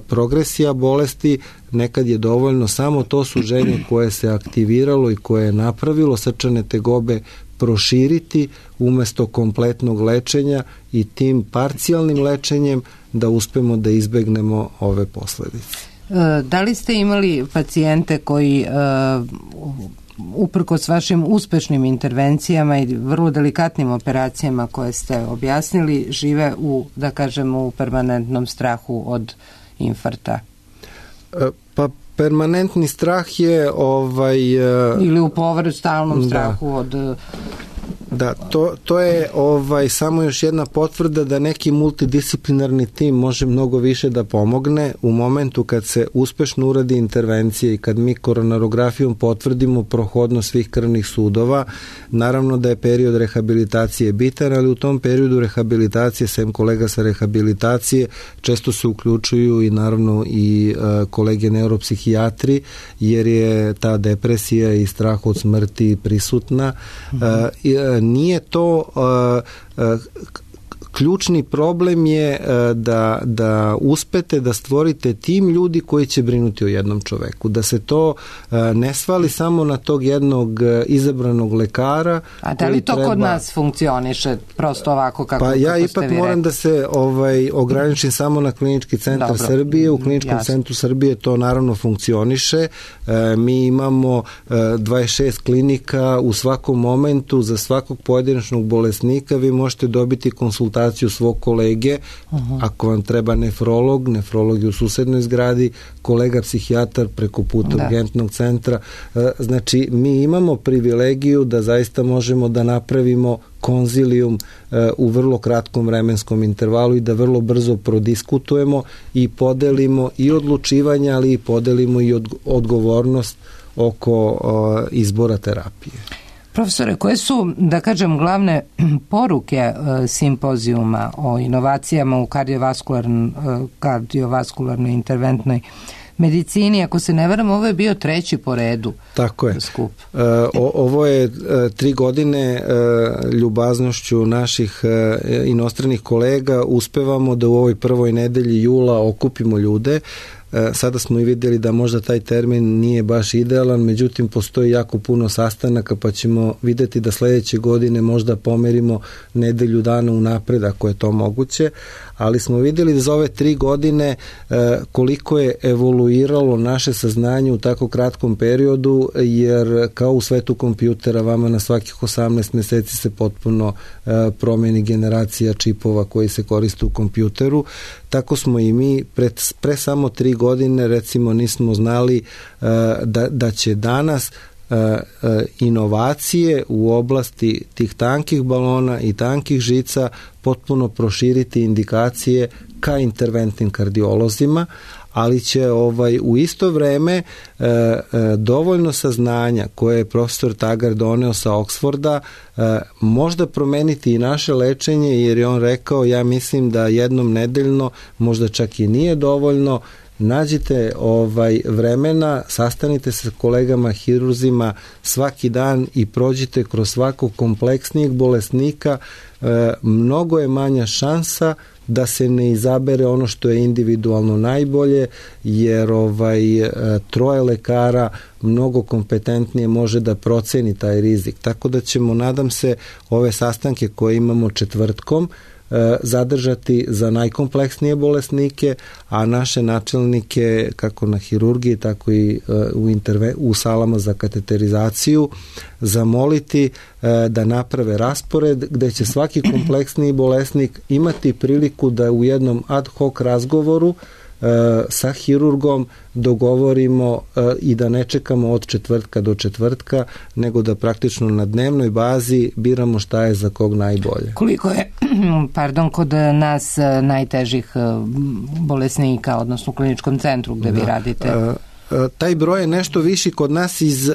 Speaker 4: progresija bolesti nekad je dovoljno samo to suženje koje se aktiviralo i koje je napravilo srčane tegobe proširiti umesto kompletnog lečenja i tim parcijalnim lečenjem da uspemo da izbegnemo ove posledice.
Speaker 1: Da li ste imali pacijente koji uprkos vašim uspešnim intervencijama i vrlo delikatnim operacijama koje ste objasnili žive u, da kažemo, u permanentnom strahu od infarkta?
Speaker 4: Pa permanentni strah je ovaj
Speaker 1: ili u povredu stalnom strahu da. od
Speaker 4: Da, to, to je ovaj samo još jedna potvrda da neki multidisciplinarni tim može mnogo više da pomogne u momentu kad se uspešno uradi intervencija i kad mi koronarografijom potvrdimo prohodnost svih krvnih sudova. Naravno da je period rehabilitacije bitan, ali u tom periodu rehabilitacije, sem kolega sa rehabilitacije, često se uključuju i naravno i uh, kolege neuropsihijatri, jer je ta depresija i strah od smrti prisutna. Mm-hmm. uh, i, uh, Nije to uh, uh, ključni problem je uh, da, da uspete da stvorite tim ljudi koji će brinuti o jednom čoveku. Da se to uh, ne svali samo na tog jednog uh, izabranog lekara.
Speaker 1: A da li to treba... kod nas funkcioniše prosto ovako kako,
Speaker 4: pa
Speaker 1: kako
Speaker 4: ja ipak moram rekli? Da se ovaj, ograničim samo na Klinički centar Dobro. Srbije. U Kliničkom Jasne. Centru Srbije to naravno funkcioniše. Uh, mi imamo uh, dvadeset šest klinika u svakom momentu. Za svakog pojedinačnog bolesnika vi možete dobiti konsultaciju svog kolege, uh-huh. ako vam treba nefrolog, nefrolog je u susednoj zgradi, kolega psihijatar preko puta da. Urgentnog centra. Znači, mi imamo privilegiju da zaista možemo da napravimo konzilijum u vrlo kratkom vremenskom intervalu i da vrlo brzo prodiskutujemo i podelimo i odlučivanje, ali i podelimo i odgovornost oko izbora terapije.
Speaker 1: Profesore, koje su, da kažem, glavne poruke e, simpozijuma o inovacijama u kardiovaskularn, e, kardiovaskularnoj interventnoj medicini? Ako se ne varam, ovo je bio treći po redu.
Speaker 4: Tako je.
Speaker 1: Skup.
Speaker 4: E, o, ovo je e, tri godine e, ljubaznošću naših e, inostranih kolega uspevamo da u ovoj prvoj nedelji jula okupimo ljude. Sada smo i vidjeli da možda taj termin nije baš idealan, međutim postoji jako puno sastanaka, pa ćemo vidjeti da sledeće godine možda pomerimo nedelju dana unapred ako je to moguće, ali smo vidjeli da za ove tri godine koliko je evoluiralo naše saznanje u tako kratkom periodu, jer kao u svetu kompjutera vama na svakih osamnaest meseci se potpuno promeni generacija čipova koji se koriste u kompjuteru. Tako smo i mi pre, pre samo tri godine recimo nismo znali uh, da, da će danas uh, uh, inovacije u oblasti tih tankih balona i tankih žica potpuno proširiti indikacije ka interventnim kardiolozima, ali će ovaj u isto vreme e, e, dovoljno saznanja koje je profesor Tagar doneo sa Oksforda e, možda promeniti i naše lečenje, jer je on rekao, ja mislim da jednom nedeljno možda čak i nije dovoljno, nađite ovaj vremena, sastanite se s kolegama hirurzima svaki dan i prođite kroz svakog kompleksnijeg bolesnika, e, mnogo je manja šansa da se ne izabere ono što je individualno najbolje, jer ovaj troje lekara mnogo kompetentnije može da proceni taj rizik. Tako da ćemo, nadam se, ove sastanke koje imamo četvrtkom zadržati za najkompleksnije bolesnike, a naše načelnike kako na hirurgiji, tako i u, interve, u salama za kateterizaciju zamoliti da naprave raspored gde će svaki kompleksniji bolesnik imati priliku da u jednom ad hoc razgovoru sa hirurgom dogovorimo i da ne čekamo od četvrtka do četvrtka, nego da praktično na dnevnoj bazi biramo šta je za kog najbolje.
Speaker 1: Koliko je, pardon, kod nas najtežih bolesnika, odnosno u kliničkom centru gde da. vi radite?
Speaker 4: Taj broj je nešto viši kod nas iz,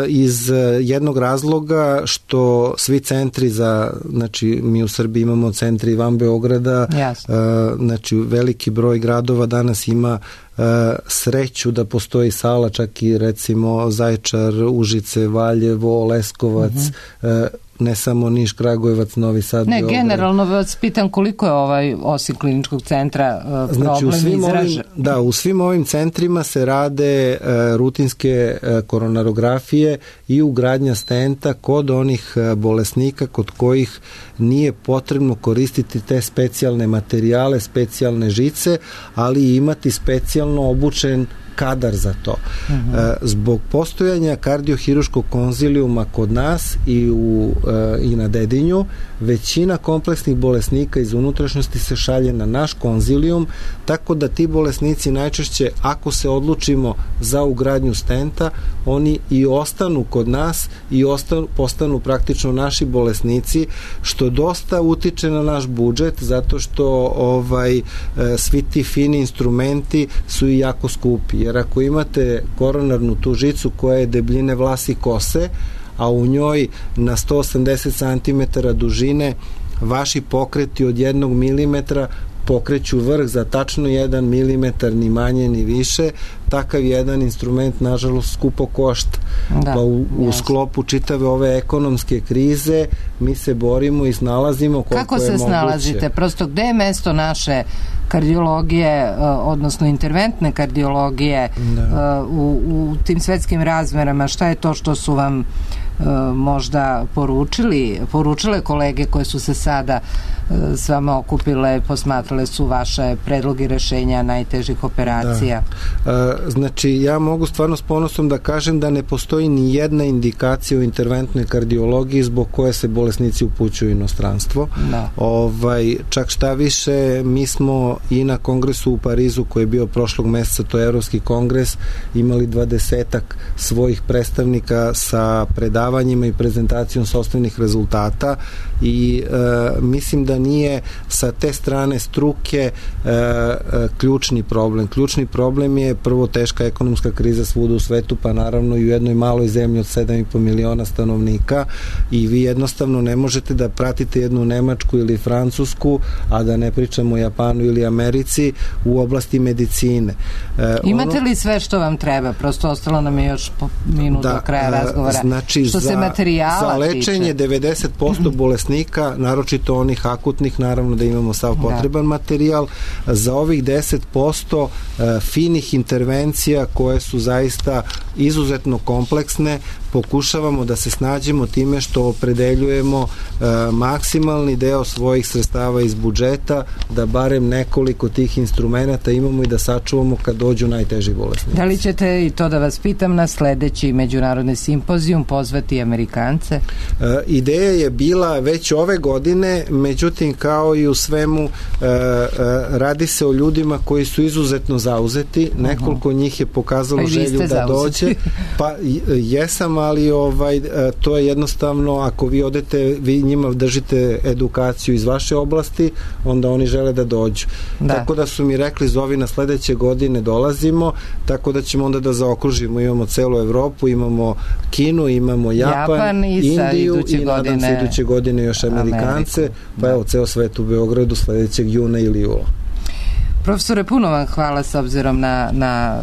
Speaker 4: iz jednog razloga što svi centri za, znači mi u Srbiji imamo centri van Beograda, Jasno. znači veliki broj gradova danas ima sreću da postoji sala, čak i recimo Zaječar, Užice, Valjevo, Leskovac, uh-huh. ne samo Niš, Kragujevac, Novi Sad,
Speaker 1: Ne,
Speaker 4: Beograd.
Speaker 1: generalno vas pitam koliko je ovaj, osim kliničkog centra, problem
Speaker 4: znači, u svim
Speaker 1: izražen.
Speaker 4: Ovim, da, u svim ovim centrima se rade uh, rutinske uh, koronarografije i ugradnja stenta kod onih uh, bolesnika kod kojih nije potrebno koristiti te specijalne materijale, specijalne žice, ali imati specijalno obučen kadar za to. Uh-huh. Zbog postojanja kardiohiruškog konzilijuma kod nas i, u, i na Dedinju, većina kompleksnih bolesnika iz unutrašnjosti se šalje na naš konzilijum, tako da ti bolesnici najčešće, ako se odlučimo za ugradnju stenta, oni i ostanu kod nas i ostanu, postanu praktično naši bolesnici, što dosta utiče na naš budžet, zato što ovaj, svi ti fini instrumenti su i jako skupi. Jer ako imate koronarnu tu žicu koja je debljine vlasi kose, a u njoj na sto osamdeset centimetara dužine vaši pokreti od jednog milimetra pokreću vrh za tačno jedan milimetar, ni manje ni više, takav jedan instrument nažalost skupo košta. Da, pa u, u sklopu čitave ove ekonomske krize mi se borimo i snalazimo koliko
Speaker 1: Kako
Speaker 4: je moguće.
Speaker 1: Kako se snalazite? Prosto gde je mesto naše kardiologije, odnosno interventne kardiologije u, u tim svetskim razmerama? Šta je to što su vam možda poručili, poručile kolege koje su se sada s vama okupile, posmatrale su vaše predloge rešenja najtežih operacija?
Speaker 4: Da. Znači, ja mogu stvarno s ponosom da kažem da ne postoji ni jedna indikacija u interventnoj kardiologiji zbog koje se bolesnici upućuju u inostranstvo. Da. Ovaj, čak šta više, mi smo i na kongresu u Parizu koji je bio prošlog meseca, to je Evropski kongres, imali dvadesetak svojih predstavnika sa predavanjima i prezentacijom sopstvenih rezultata i e, mislim da nije sa te strane struke e, e, ključni problem. Ključni problem je prvo teška ekonomska kriza svuda u svetu, pa naravno i u jednoj maloj zemlji od sedam i po miliona stanovnika i vi jednostavno ne možete da pratite jednu Nemačku ili Francusku, a da ne pričamo o Japanu ili Americi u oblasti medicine.
Speaker 1: E, Imate ono, li sve što vam treba? Prosto ostalo nam je još minut da, do kraja razgovora.
Speaker 4: Znači,
Speaker 1: što
Speaker 4: za,
Speaker 1: se materijala
Speaker 4: za lečenje
Speaker 1: tiče.
Speaker 4: devedeset posto bolesnika, naročito onih akutnih, naravno da imamo sav potreban da. materijal. Za ovih deset posto uh, finih intervencija koje su zaista izuzetno kompleksne, pokušavamo da se snađemo time što opredeljujemo uh, maksimalni deo svojih sredstava iz budžeta, da barem nekoliko tih instrumenata imamo i da sačuvamo kad dođu najteži bolesnici.
Speaker 1: Da li ćete, i to da vas pitam, na sledeći međunarodni simpozijum pozvati Amerikance?
Speaker 4: Uh, ideja je bila već ove godine, međutim kao i u svemu uh, uh, radi se o ljudima koji su izuzetno zauzeti, nekoliko uh-huh. njih je pokazalo pa želju da zauzeti. dođe, pa jesam, ali ovaj, to je jednostavno, ako vi odete, vi njima držite edukaciju iz vaše oblasti, onda oni žele da dođu. Da. Tako da su mi rekli, zovi na sledeće godine dolazimo, tako da ćemo onda da zaokružimo, imamo celu Evropu, imamo Kinu, imamo Japan,
Speaker 1: Japan i
Speaker 4: Indiju i nadam
Speaker 1: godine,
Speaker 4: se iduće godine još Amerikance, Ameriku. Pa evo, ceo svet u Beogradu sledećeg juna ili jula.
Speaker 1: Profesore, puno vam hvala s obzirom na, na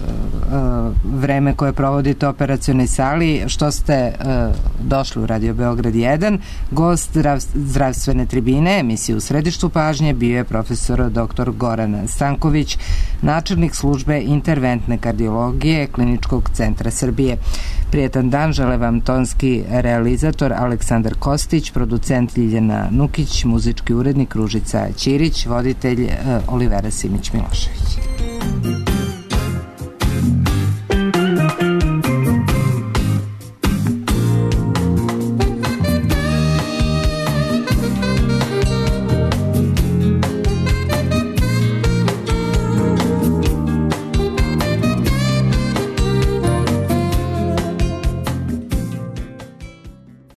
Speaker 1: uh, vreme koje provodite u operacionoj sali, što ste uh, došli u Radio Beograd jedan. Gost zdrav, zdravstvene tribine, emisije u središtu pažnje, bio je profesor doktor Goran Stanković, načelnik službe interventne kardiologije Kliničkog centra Srbije. Prijetan dan žele vam tonski realizator Aleksandar Kostić, producent Ljiljana Nukić, muzički urednik Ružica Ćirić, voditelj uh, Olivera Simić Milošević.